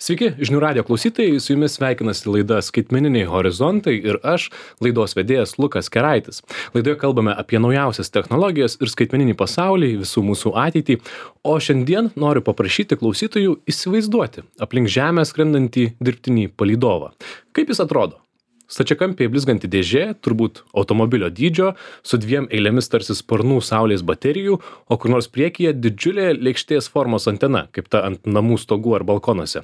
Sveiki, žinių radijo klausytojai, su jumis sveikinasi laida Skaitmeniniai horizontai ir aš, laidos vedėjas Lukas Keraitis. Laidoje kalbame apie naujausias technologijas ir skaitmeninį pasaulį, visų mūsų ateitį, o šiandien noriu paprašyti klausytojų įsivaizduoti aplink Žemę skrendantį dirbtinį palydovą. Kaip jis atrodo? Stačiakampiai blizganti dėžė, turbūt automobilio dydžio, su dviem eilėmis tarsi sparnų saulės baterijų, o kur nors priekyje didžiulė lėkštės formos antena, kaip ta ant namų stogų ar balkonuose.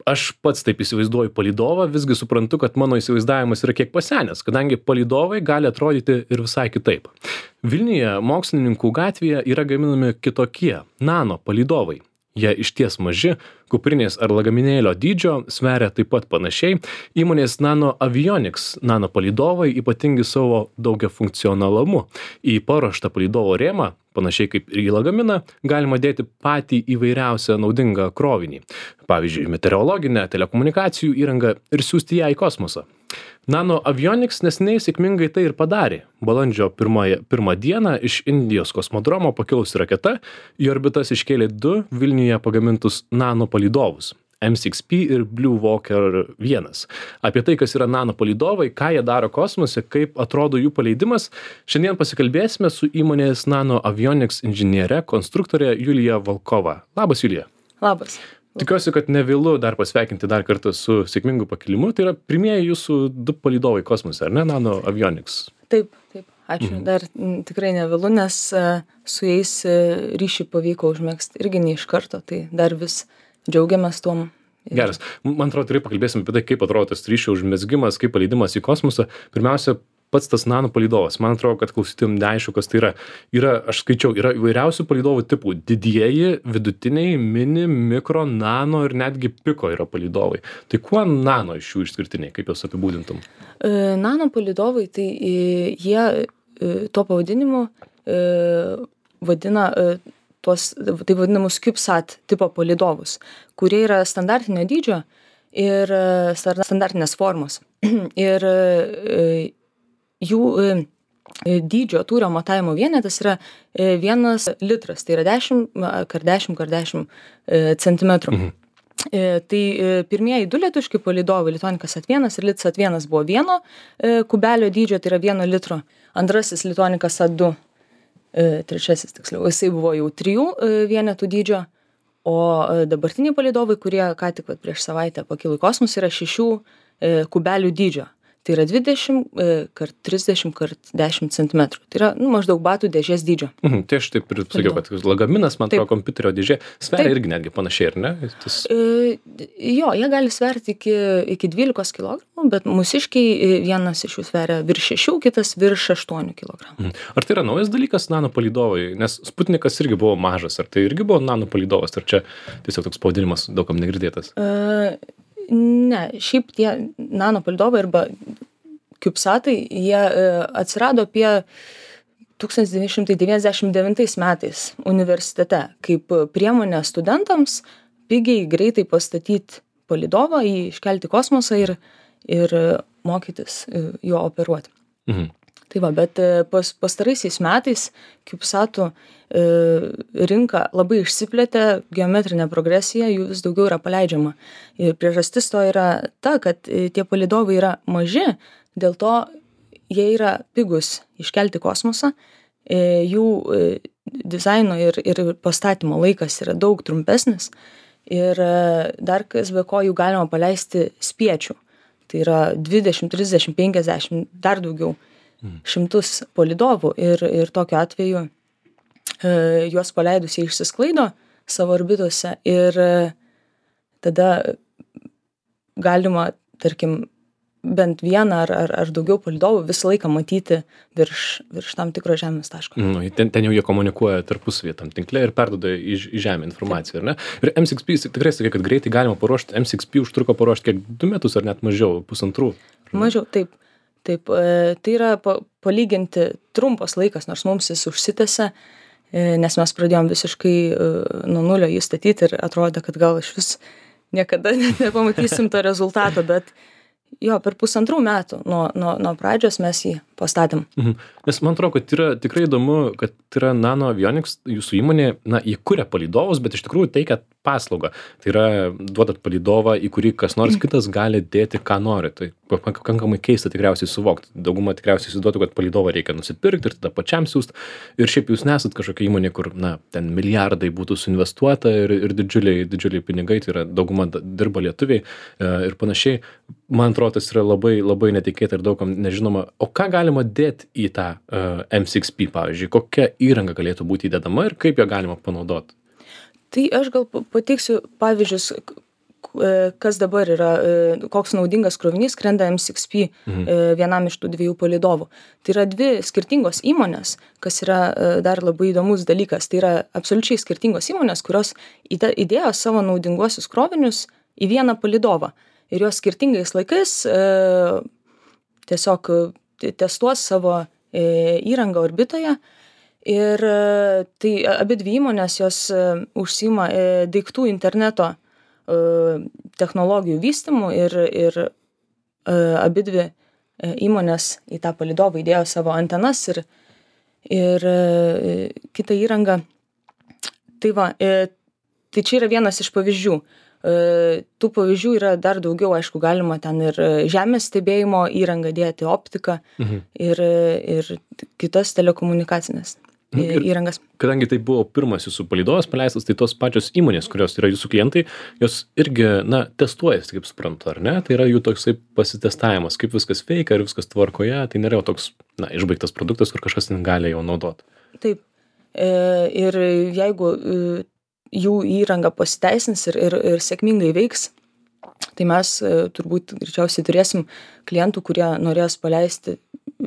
Aš pats taip įsivaizduoju palydovą, visgi suprantu, kad mano įsivaizdavimas yra kiek pasenęs, kadangi palydovai gali atrodyti ir visai kitaip. Vilniuje mokslininkų gatvėje yra gaminami kitokie nano palydovai. Jie išties maži, kuprinės ar lagaminėlio dydžio, sveria taip pat panašiai. Įmonės Nano Avionics nano palydovai ypatingi savo daugiafunkcionalumu. Į paruoštą palydovo rėmą, panašiai kaip ir į lagaminą, galima dėti patį įvairiausią naudingą krovinį. Pavyzdžiui, meteorologinę, telekomunikacijų įrangą ir siųsti ją į kosmosą. Nano Avionics neseniai sėkmingai tai ir padarė. Balandžio pirmą dieną iš Indijos kosmodromo pakilusi raketa į orbitas iškėlė 2 Vilniuje pagamintus nano palydovus M6P ir Blue Walker 1. Apie tai, kas yra nano palydovai, ką jie daro kosmose, kaip atrodo jų paleidimas, šiandien pasikalbėsime su įmonės Nano Avionics inžiniere, konstruktorė Julija Volkova. Labas, Julija. Labas. Tikiuosi, kad nevėlu dar pasveikinti dar kartą su sėkmingu pakilimu. Tai yra pirmieji jūsų 2 palydovai kosmose, ar ne, Nano Avionics? Taip. Ačiū. Dar tikrai nevėlu, nes su jais ryšį pavyko užmegzti irgi ne iš karto, tai dar vis džiaugiamės tuom. Geras. Man atrodo, tikrai pakalbėsim apie tai, kaip atrodo tas ryšio užmezgimas, kaip paleidimas į kosmosą. Pirmiausia, pats tas nano palydovas. Man atrodo, kad klausytėm neaišku, kas tai yra. Aš skaičiau, yra įvairiausių palydovų tipų. Didieji, vidutiniai, mini, mikro, nano ir netgi piko yra palydovai. Tai kuo nano iš jų išskirtiniai? Kaip juos apibūdintum? Nano palydovai, tai jie tuo pavadinimu vadina tuos taip vadinamus CubeSat tipo palydovus, kurie yra standartinio dydžio ir standartinės formos. Ir jų dydžio tūrio matavimo vienetas yra 1 litras, tai yra 10x10x10 centimetrų. Tai pirmieji 2 lietuviški palydovai, Lituanicas Sat 1 ir Litsat 1 buvo 1 kubelio dydžio, tai yra 1 litro. Antrasis Lituanicas Sat 2, trečiasis tiksliau, jisai buvo jau 3 vienetų dydžio, o dabartiniai palydovai, kurie ką tik prieš savaitę pakilo į kosmosą, yra 6 kubelių dydžio. Tai yra 20x30x10 cm. Tai yra maždaug batų dėžės dydžio. Tai aš taip ir sakiau, kad lagaminas, man atrodo, kompiuterio dėžė sveria irgi netgi panašiai, ar ne? Jo, jie gali sverti iki 12 kg, bet mūsiškiai vienas iš jų sveria virš 6, kitas virš 8 kg. Ar tai yra naujas dalykas nano palydovai? Nes Sputnikas irgi buvo mažas, ar tai irgi buvo nano palydovas, ar čia tiesiog toks pavadinimas daugam negirdėtas? Ne, šiaip tie nano palydovai arba CubeSatai, jie atsirado apie 1999 metais universitete kaip priemonė studentams pigiai greitai pastatyti palydovą, jį iškelti į kosmosą ir mokytis jo operuoti. Tai va, bet pastaraisiais metais CubeSatų rinka labai išsiplėtė, geometrinė progresija, jų vis daugiau yra paleidžiama. Ir priežastis to yra ta, kad tie palydovai yra maži, dėl to jie yra pigus iškelti kosmosą, jų dizaino ir pastatymo laikas yra daug trumpesnis ir dar kas be ko jų galima paleisti spiečių. Tai yra 20, 30, 50, dar daugiau. 100 palydovų ir tokiu atveju juos paleidus jie išsisklaido savo orbitose ir tada galima, tarkim, bent vieną ar daugiau palydovų visą laiką matyti virš tam tikro Žemės taško. Ten jau jie komunikuoja tarpusavyje tam tinkle ir perduoda į Žemę informaciją, ar ne? Ir M6P, tikrai sakai, kad greitai galima paruošti, M6P užtruko paruošti kiek 2 metus ar net mažiau, 1,5? Mažiau, taip. Taip, tai yra palyginti trumpas laikas, nors mums jis užsitęsia, nes mes pradėjom visiškai nuo nulio jį statyti ir atrodė, kad gal iš vis niekada nepamatysim to rezultato, bet jo, per 1,5 metų nuo pradžios mes jį pastatėm. Nes man atrodo, kad yra tikrai įdomu, kad yra Nano Avionics, jūsų įmonė, jie kuria palydovus, bet iš tikrųjų teikia paslaugą. Tai yra duodat palydovą, į kurį kas nors kitas gali dėti, ką nori. Tai pakankamai keista tikriausiai suvokti. Dauguma tikriausiai įsivaizduotų, kad palydovą reikia nusipirkti ir tada pačiam siųsti. Ir šiaip jūs nesat kažkokia įmonė, kur, ten milijardai būtų suinvestuota ir didžiuliai pinigai, tai yra dauguma dirba lietuviai ir panašiai. Man atrodo, tas yra labai, labai netikėta ir daugam nežinoma. O ką galima dėti į tą M6P, pavyzdžiui? Kokia įranga galėtų būti įdedama ir kaip ją galima panaudoti? Tai aš gal pateiksiu pavyzdžius, kas dabar yra, koks naudingas krovinys skrenda M6P vienam iš tų 2 palydovų. Tai yra 2 skirtingos įmonės, kas yra dar labai įdomus dalykas. Tai yra absoliučiai skirtingos įmonės, kurios įdėjo savo naudinguosius krovinius į vieną palydovą. Ir jos skirtingais laikais tiesiog testuos savo įrangą orbitoje. Ir tai abidvi įmonės jos užsiima daiktų interneto technologijų vystymu ir abidvi įmonės į tą palydovą įdėjo savo antenas ir kitą įrangą. Tai čia yra vienas iš pavyzdžių. Tų pavyzdžių yra dar daugiau, aišku, galima ten ir žemės stebėjimo įrangą dėti, optiką ir kitas telekomunikacinės įrangas. Kadangi tai buvo pirmas jūsų palydovas paleistas, tai tos pačios įmonės, kurios yra jūsų klientai, jos irgi, testuojasi, kaip suprantu, ar ne? Tai yra jų toksai pasitestavimas, kaip viskas veikia, ar viskas tvarkoje, tai nėra toks, išbaigtas produktas, kur kažkas ten gali jau naudoti. Taip. Ir jeigu jų įranga pasiteisins ir sėkmingai veiks, tai mes turbūt greičiausiai turėsim klientų, kurie norės paleisti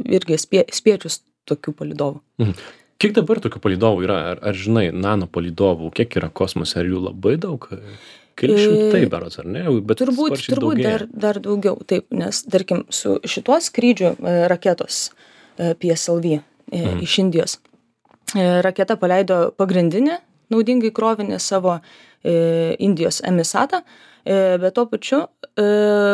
irgi spiečius tokių palydovų. Kiek dabar tokių palydovų yra? Ar žinai, nano palydovų, kiek yra kosmose? Ar jų labai daug? Keli šimtai berods, ar ne? Bet turbūt dar daugiau, taip, nes, tarkim, su šituo skrydžiu raketos PSLV iš Indijos. Raketa paleido pagrindinį naudingai krovinį savo Indijos emisatą, bet tuo pačiu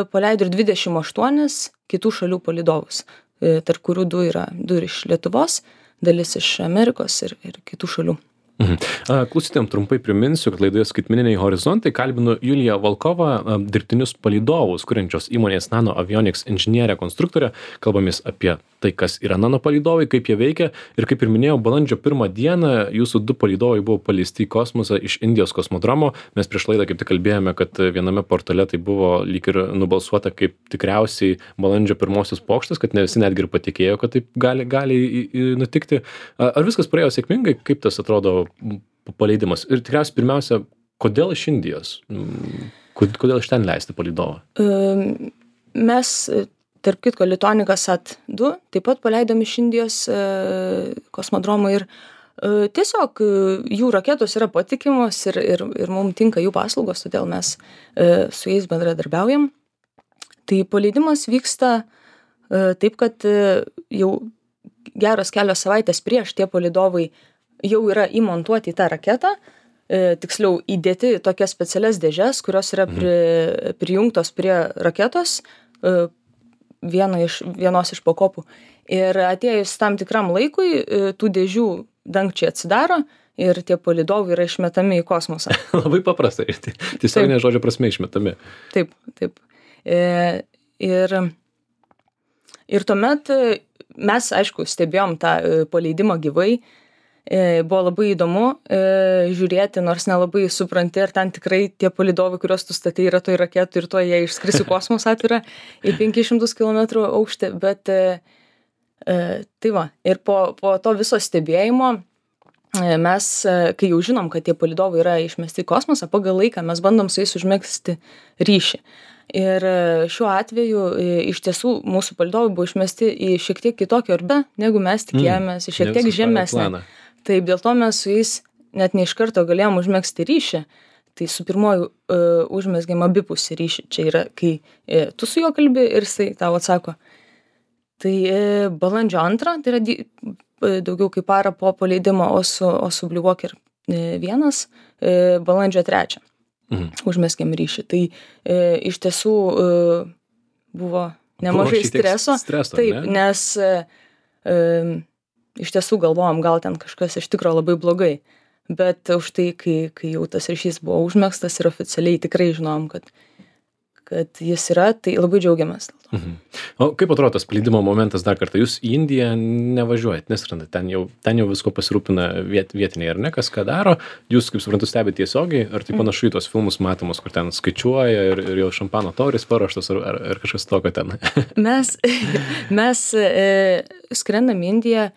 paleido ir 28 kitų šalių palydovus, tarp kurių 2 yra iš Lietuvos, dalis iš Amerikos ir kitų šalių. Klausytėm trumpai priminsiu, kad laidoje Skaitmeniniai horizontai kalbinu Juliją Volkovą, dirbtinius palydovus, kuriančios įmonės Nano Avionics inžinierę konstruktorę. Kalbamės apie tai, kas yra nano palydovai, kaip jie veikia. Ir kaip ir minėjau, balandžio 1 dieną jūsų 2 palydovai buvo paleisti į kosmosą iš Indijos kosmodromo. Mes prieš laidą kaip tik kalbėjome, kad viename portale tai buvo lyg ir nubalsuota kaip tikriausiai balandžio 1 pokštas, kad ne visi netgi ir patikėjo, kad taip gali nutikti. Ar viskas praėjo sėkmingai? Kaip tas atrodo paleidimas? Ir tikriausiai pirmiausia, kodėl iš Indijos? Kodėl iš ten leisti palydovą? Mes, tarp kitko, Litonika Sat-2 taip pat paleidom iš Indijos kosmodromą ir tiesiog jų raketos yra patikimos ir mums tinka jų paslaugos, todėl mes su jais bendradarbiaujam. Tai paleidimas vyksta taip, kad jau geros kelios savaitės prieš tie palydovai jau yra įmontuoti į tą raketą, tiksliau įdėti tokias specialias dėžes, kurios yra prijungtos prie raketos, vienos iš pakopų. Ir atėjus tam tikram laikui, tų dėžių dangčiai atsidaro ir tie palydovai yra išmetami į kosmosą. Labai paprastai, tiesiog ne žodžio prasme išmetami. Taip. Ir tuomet mes, aišku, stebėjom tą paleidimą gyvai. Buvo labai įdomu žiūrėti, nors nelabai supranti, ar ten tikrai tie palydovai, kuriuos tu statai, yra toj raketų ir to jie išskris į kosmosą atvirą į 500 km aukštį, bet tai va. Ir po to viso stebėjimo mes, kai jau žinom, kad tie palydovai yra išmesti į kosmosą, pagal laiką mes bandom su jais užmegzti ryšį. Ir šiuo atveju iš tiesų mūsų palydovai buvo išmesti į šiek tiek kitokį orbitą, negu mes tikėjomės, į šiek tiek žemesnę. Taip, dėl to mes su jais net ne iš karto galėjom užmegzti ryšį. Tai su pirmoju užmezgėm abipusį ryšį. Čia yra, kai tu su juo kalbi ir jisai tau atsako. Tai balandžio 2, tai yra daugiau kaip parą po paleidimo, o su Blue Walker 1 balandžio 3 užmezgėm ryšį. Tai iš tiesų buvo nemažai streso. Taip, nes iš tiesų galvojom, gal ten kažkas iš tikro labai blogai. Bet už tai, kai jau tas ryšys buvo užmėgstas ir oficialiai tikrai žinom, kad jis yra, tai labai džiaugiamės. O kaip atrodo tas paleidimo momentas dar kartą? Jūs į Indiją nevažiuojat, neskrenda, ten jau visko pasirūpina vietiniai, ar ne, kas ką daro? Jūs, kaip suprantu, stebite tiesiogiai, ar tai panašu į tos filmus matomus, kur ten skaičiuoja ir jau šampano taurės paruoštos, ar kažkas tokio ten? Mes skrendam į Indiją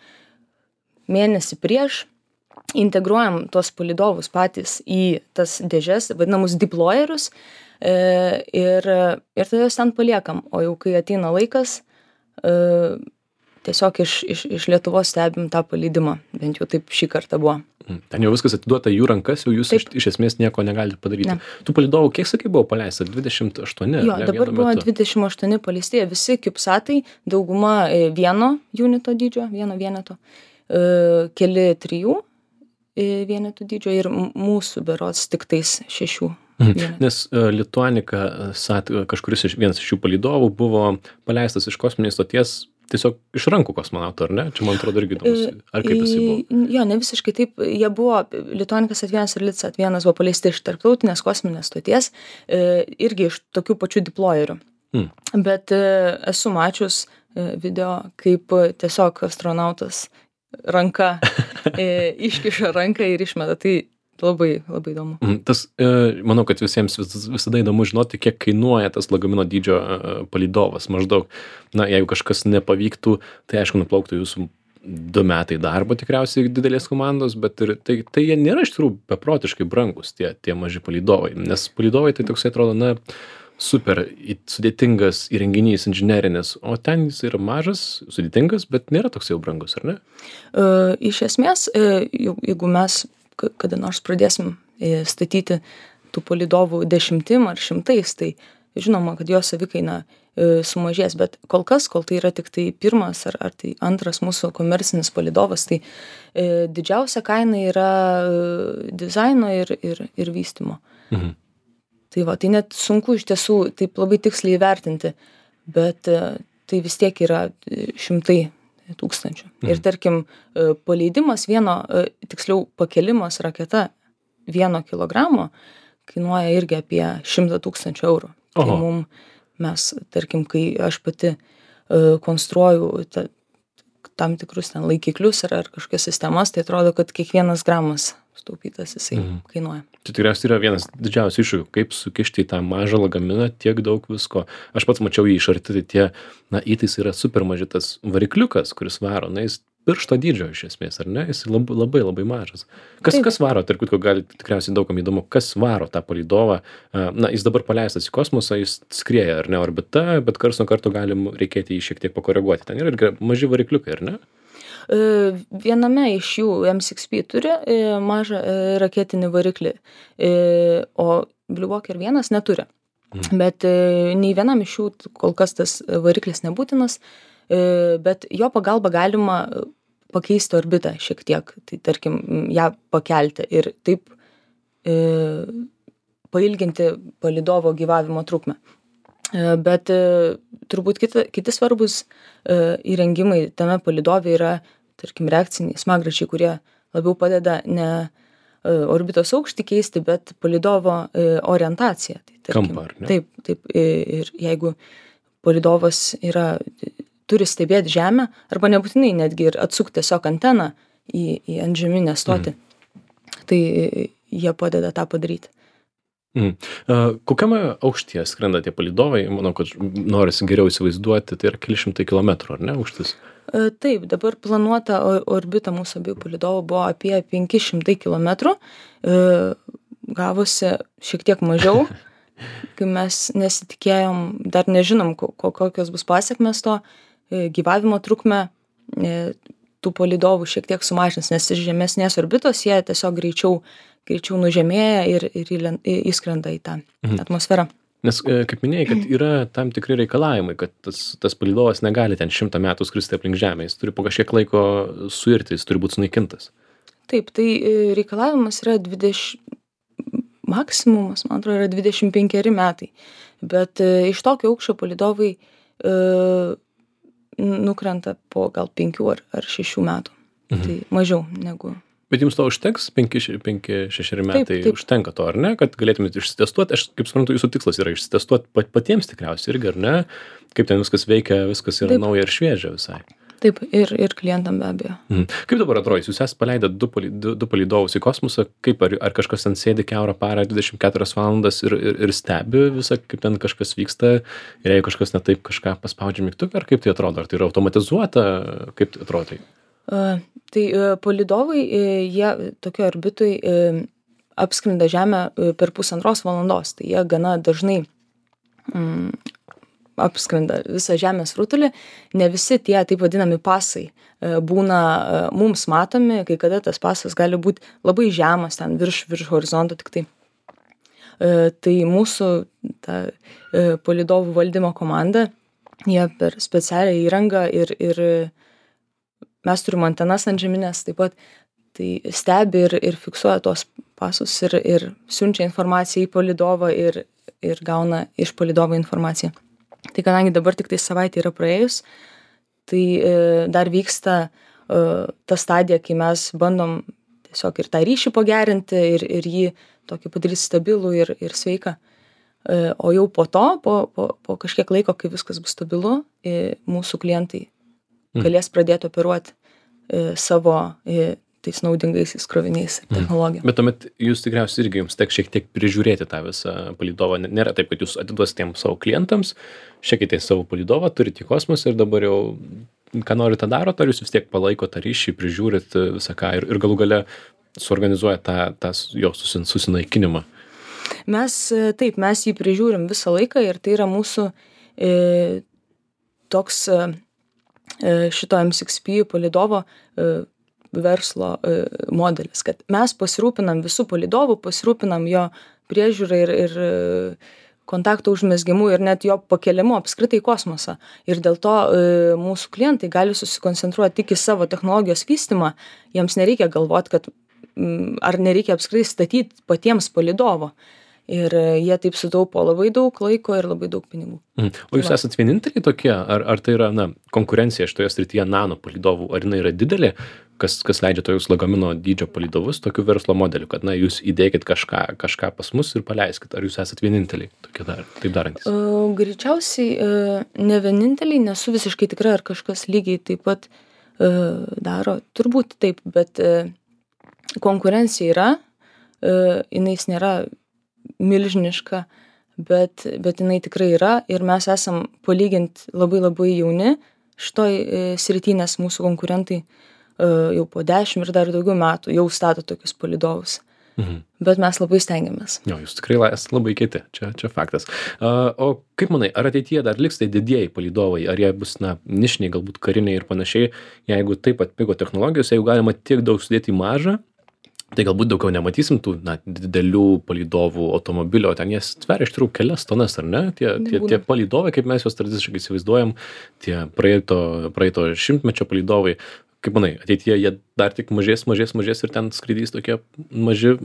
mėnesį prieš, integruojam tuos palydovus patys į tas dėžes, vadinamus deployerius, ir tada juos ten paliekam. O jau kai ateina laikas, tiesiog iš Lietuvos stebim tą paleidimą. Bent jau taip šį kartą buvo. Ten jau viskas atiduota jų rankas, jau jūs iš esmės nieko negalite padaryti. Ne. Tų palydovų, kiek sakai, buvo paleista? 28? Jo, dabar buvo 28 paleisti, visi CubeSatai, dauguma vieno unito dydžio, vieno vieneto, keli 3 vienetų dydžio ir mūsų berods tik tais 6. Nes Lituanica Sat, vienas iš šių palydovų buvo paleistas iš kosminės stoties tiesiog iš rankų kosmonautų, ar ne? Čia man atrodo irgi įdomus. Ar kaip jisai buvo? Jo, ne visiškai taip. Jie buvo, Lituanica Sat 1 ir Lit Sat 1 buvo paleisti iš tarptautinės kosminės stoties, irgi iš tokių pačių deployerių. Bet esu mačius video, kaip tiesiog astronautas ranka iškiša ranką ir išmeta. Tai labai, labai įdomu. Tas, manau, kad visiems visada įdomu žinoti, kiek kainuoja tas lagamino dydžio palydovas. Maždaug, jeigu kažkas nepavyktų, tai aišku, nuplauktų jūsų 2 metai darbo tikriausiai didelės komandos, bet ir tai jie nėra iš tikrųjų beprotiškai brangus, tie maži palydovai. Nes palydovai tai toksai atrodo, super sudėtingas įrenginys inžinerinis, o ten jis yra mažas, sudėtingas, bet nėra toks jau brangus, ar ne? Iš esmės, jeigu mes kada nors pradėsim statyti tų palydovų 10 ar 100, tai žinoma, kad jo savikaina sumažės, bet kol tai yra tik tai pirmas ar tai antras mūsų komercinis palydovas, tai didžiausia kaina yra dizaino ir vystymo. Tai tai net sunku iš tiesų taip labai tiksliai įvertinti, bet tai vis tiek yra 100 tūkstančių. Ir tarkim, paleidimas tiksliau pakelimas raketa 1 kilogramo kainuoja irgi apie 100 000 eurų. Tai mes, tarkim, kai aš pati konstruoju tam tikrus ten laikiklius ar kažkokias sistemas, tai atrodo, kad kiekvienas gramas sutaupytas jisai kainuoja. Tai tikriausiai yra vienas didžiausių iššūkių, kaip sukišti į tą mažą lagaminą tiek daug visko. Aš pats mačiau jį iš arti, tai įtaisai yra super maži, tas varikliukas, kuris varo, jis piršto dydžio iš esmės, ar ne? Jis labai, labai mažas. Kas varo, tarp kitko, gali tikriausiai daugam įdomu, kas varo tą palydovą. Jis dabar paleistas į kosmosą, jis skrieja, ar ne, orbita, bet karts nuo karto galim reikėti jį šiek tiek pakoreguoti. Ten yra irgi maži varikliukai, ar ne? Viename iš jų M6P turi mažą raketinį variklį, o Blue Walker 1 neturi. Bet nei vienam iš jų kol kas tas variklis nebūtinas, bet jo pagalba galima pakeisti orbitą šiek tiek, tai tarkim ją pakelti ir taip pailginti palydovo gyvavimo trukmę. Bet turbūt kiti svarbus įrengimai tame palydove yra, tarkim, reakciniai smagračiai, kurie labiau padeda ne orbitos aukštį keisti, bet palydovo orientaciją. Tai, tarkim, kampą, ar ne? Taip. Ir jeigu palydovas turi stebėti Žemę, arba nebūtinai netgi ir atsukti tiesiog anteną į antžeminę stotį, tai jie padeda tą padaryti. Kokiame aukštyje skrenda tie palydovai? Manau, kad norisi geriau įsivaizduoti, tai yra keli šimtai kilometrų, ar ne, aukštis? Taip, dabar planuota orbita mūsų abiejų palydovų buvo apie 500 kilometrų, gavosi šiek tiek mažiau, kai mes nesitikėjom, dar nežinom, kokios bus pasiekmes to, gyvavimo trukmę tų palydovų šiek tiek sumažins, nes iš žemesnės orbitos jie tiesiog greičiau nužemėja ir įskrenda į tą atmosferą. Nes, kaip minėjai, kad yra tam tikri reikalavimai, kad tas palydovas negali ten 100 metų skristi aplink Žemę, jis turi po kažkiek laiko suirti, jis turi būti sunaikintas. Taip, tai reikalavimas yra maksimumas, man atrodo, yra 25 metai, bet iš tokio aukščio palydovai nukrenta po gal 5 ar 6 metų. Tai mažiau negu. Bet jums to užteks? 5-6 metai Taip. užtenka to, ar ne? Kad galėtumėte išsitestuoti. Aš kaip suprantu, jūsų tikslas yra išsitestuoti patiems tikriausiai irgi, ar ne? Kaip ten viskas veikia, viskas yra nauja ir šviežia visai. Taip, ir klientam be abejo. Kaip dabar atrodys? Jūs esate paleidę du palydovus į kosmosą. Kaip, ar kažkas ten sėdi kiaurą parą 24 valandas ir stebi visą, kaip ten kažkas vyksta? Ir jeigu kažkas ne taip, kažką paspaudžia mygtuką, ar kaip tai atrodo? Ar tai yra automatizuota? Kaip tai atrodo? Tai palydovai, jie tokio orbitui apskrinda Žemę per 1,5 valandos. Tai jie gana dažnai apskrinda visą Žemės rutulį. Ne visi tie taip vadinami pasai būna mums matomi, kai kada tas pasas gali būti labai žemas, ten virš horizonto tik tai. Tai mūsų ta palydovų valdymo komanda, jie per specialią įrangą ir mes turim antenas antžeminės taip pat, tai stebi ir fiksuoja tuos pasus ir siunčia informaciją į palydovą ir gauna iš palydovo informaciją. Tai kadangi dabar tik tai savaitė yra praėjus, tai dar vyksta ta stadija, kai mes bandom tiesiog ir tą ryšį pagerinti ir jį tokį padaryti stabilų ir sveiką. O jau po to, po kažkiek laiko, kai viskas bus stabilu, mūsų klientai galės pradėti operuoti savo tais naudingaisiais kroviniais ir technologijom. Bet tuomet jūs tikriausiai irgi jums teks šiek tiek prižiūrėti tą visą palydovą. Nėra taip, kad jūs atiduosite tiem savo klientams, šiekite savo palydovą, turite į kosmosą ir dabar jau ką norite darot, ar jūs vis tiek palaiko tą ryšį, prižiūrit visą ką ir galų gale suorganizuoja tą jo susinaikinimą. Mes jį prižiūrim visą laiką ir tai yra mūsų toks šito M6P palydovo verslo modelis, kad mes pasirūpinam visų palydovų, pasirūpinam jo priežiūrą ir kontakto užmezgimu ir net jo pakelimu apskritai į kosmosą. Ir dėl to mūsų klientai gali susikoncentruoti tik į savo technologijos vystymą, jiems nereikia galvoti, kad ar nereikia apskritai statyti patiems palydovo. Ir jie taip sutaupo labai daug laiko ir labai daug pinigų. O jūs esat vieninteliai tokie? Ar tai yra konkurencija šitoje srityje nano palydovų? Ar jinai yra didelė, kas leidžia tokius lagamino dydžio palydovus, tokių verslo modelių, kad jūs įdėkit kažką pas mus ir paleiskit? Ar jūs esat vieninteliai tokie taip darantys? Greičiausiai ne vieninteliai, nesu visiškai tikra, ar kažkas lygiai taip pat daro. Turbūt taip, bet konkurencija yra, jinais nėra milžiniška, bet jinai tikrai yra ir mes esam palyginti labai labai jauni šitoj srity, nes mūsų konkurentai jau po 10 ir dar daugiau metų jau stato tokius palydovus. Bet mes labai stengiamės. Jo, jūs tikrai esate labai kieti, čia faktas. O kaip manai, ar ateityje dar liks tai didieji palydovai, ar jie bus nišiniai, galbūt kariniai ir panašiai, jeigu taip atpigo technologijos, jeigu galima tiek daug sudėti į mažą, tai galbūt daugiau nematysim tų didelių palydovų automobilio, ten jie sveria iš tikrųjų kelias tonas, ar ne? Tie palydovai, kaip mes juos tradiciškai įsivaizduojam, tie praeito šimtmečio palydovai, kaip manai, ateityje jie dar tik mažės ir ten skraidys tokie maži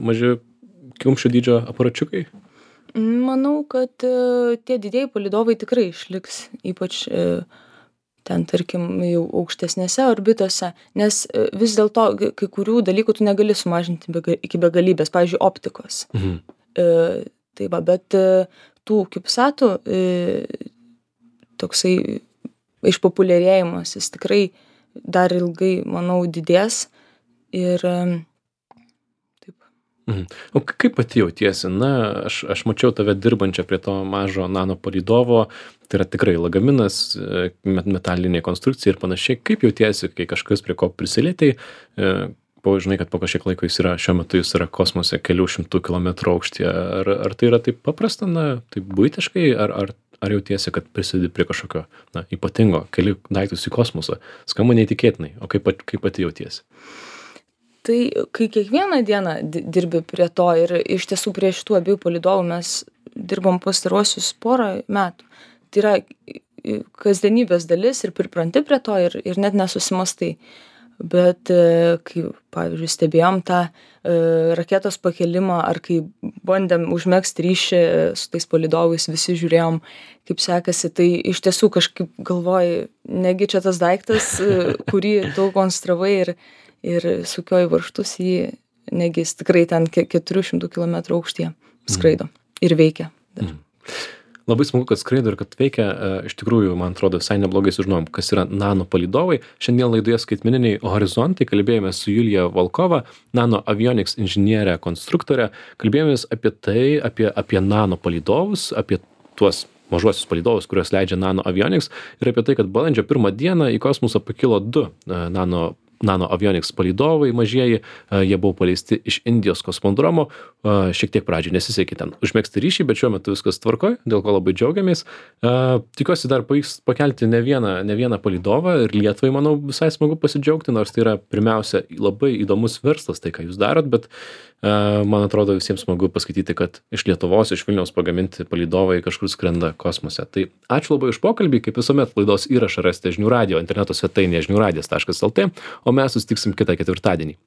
kiaušinio dydžio aparačiukai? Manau, kad tie didieji palydovai tikrai išliks, ypač ten, tarkim, jau aukštesnėse orbitose, nes vis dėlto kai kurių dalykų tu negali sumažinti iki begalybės, pavyzdžiui, optikos. Tai va, bet tų CubeSatų toksai išpopuliarėjimas, jis tikrai dar ilgai, manau, didės ir taip. O kaip pati jautiesi? Aš mačiau tave dirbančią prie to mažo nano palydovo, tai yra tikrai lagaminas, metalinė konstrukcija ir panašiai. Kaip jautiesi, kai kažkas prie ko prisilietei, žinai, kad po kažkiek laiko šiuo metu jis yra kosmose kelių šimtų kilometrų aukštyje. Ar tai yra taip paprasta, taip buitiškai, ar jautiesi, kad prisidedi prie kažkokio ypatingo, keli daiktus į kosmosą? Skamba neįtikėtinai, o kaip pati jautiesi? Tai kai kiekvieną dieną dirbi prie to ir iš tiesų prie šitų abiejų palydovų mes dirbom pastaruosius porą metų. Tai yra kasdienybės dalis ir pripranti prie to ir net nesusimastai. bet kai, pavyzdžiui, stebėjom tą raketos pakelimą ar kai bandėm užmegzti ryšį su tais palydovais, visi žiūrėjom, kaip sekasi, tai iš tiesų kažkaip galvoju, negi čia tas daiktas, kurį tu konstravai ir sukioji varžtus jį, negi jis tikrai ten 400 km aukštyje skraido ir veikia. Labai smagu, kad skraido ir kad veikia. Iš tikrųjų, man atrodo, visai neblogai sužinojom, kas yra nano palydovai. Šiandien laidoje Skaitmeniniai horizontai kalbėjome su Julija Volkova, nano avionics inžinierė, konstruktorė. Kalbėjomės apie tai, apie nano palydovus, apie tuos mažuosius palydovus, kuriuos leidžia nano avionics, ir apie tai, kad balandžio 1 dieną į kosmosą pakilo 2 nano avionics palydovai mažieji, jie buvo paleisti iš Indijos kosmodromo, šiek tiek pradžioj nesisekė ten užmegzti ryšį, bet šiuo metu viskas tvarkoj, dėl ko labai džiaugiamės. Tikiuosi dar pavyks pakelti ne vieną palydovą ir Lietuvai, manau, visai smagu pasidžiaugti, nors tai yra pirmiausia labai įdomus verslas, tai ką jūs darot, bet man atrodo visiems smagu paskaityti, kad iš Lietuvos, iš Vilniaus pagaminti palydovai kažkur skrenda kosmose. Tai ačiū labai už pokalbį, kaip visuomet laidos įrašą rasite žinių radijo interneto svetainėje žiniųradijas.lt, o mes susitiksim kitą ketvirtadienį.